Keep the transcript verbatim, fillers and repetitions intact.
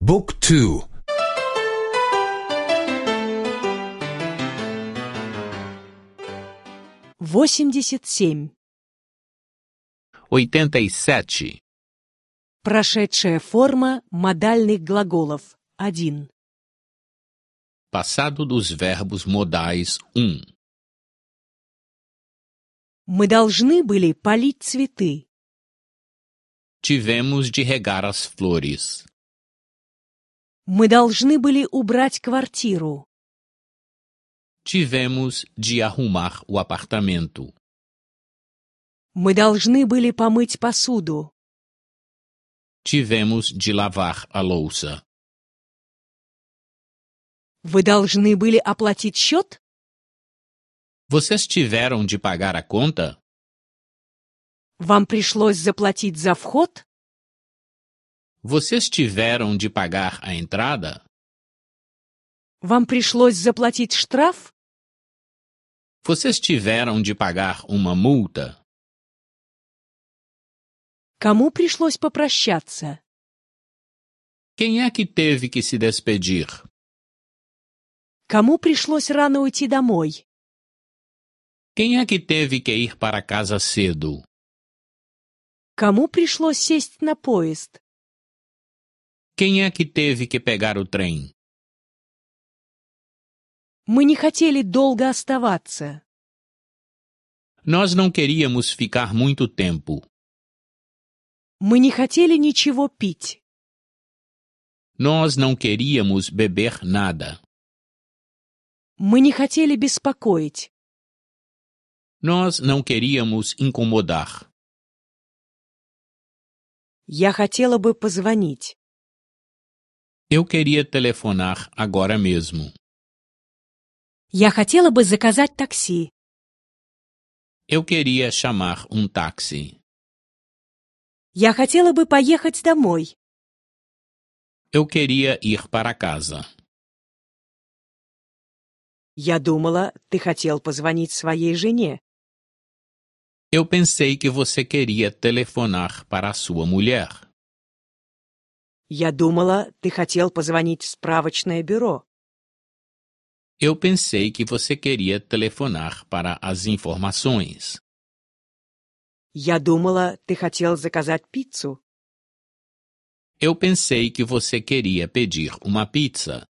Book two. Восемьдесят семь. Oitenta e sete. Прошедшая форма модальных глаголов. Один. Passado dos verbos modais um. Мы должны были полить цветы. Tivemos de regar as flores. Мы должны были убрать квартиру. Tivemos de arrumar o apartamento. Мы должны были помыть посуду. Tivemos de lavar a louça. Вы должны были оплатить счет? Vocês tiveram de pagar a conta? Вам пришлось заплатить за вход? Vocês tiveram de pagar a entrada? Вам пришлось заплатить штраф? Vocês tiveram de pagar uma multa? Кому пришлось попрощаться? Quem é que teve que se despedir? Кому пришлось рано уйти домой? Quem é que teve que ir para casa cedo? Кому пришлось сесть на поезд? Quem é que teve que pegar o trem? Мы не хотели долго оставаться. Nós não queríamos ficar muito tempo. Мы не хотели ничего пить. Nós não queríamos beber nada. Мы не хотели беспокоить. Nós não queríamos incomodar. Я хотела бы позвонить. Eu queria telefonar agora mesmo. Я хотела бы заказать такси. Eu queria chamar um táxi. Я хотела бы поехать домой. Eu queria ir para casa. Я думала, ты хотел позвонить своей жене. Eu pensei que você queria telefonar para a sua mulher. Я думала, ты хотел позвонить в справочное бюро. Eu pensei que você queria telefonar para as informações. Я думала, ты хотел заказать пиццу. Eu pensei que você queria pedir uma pizza.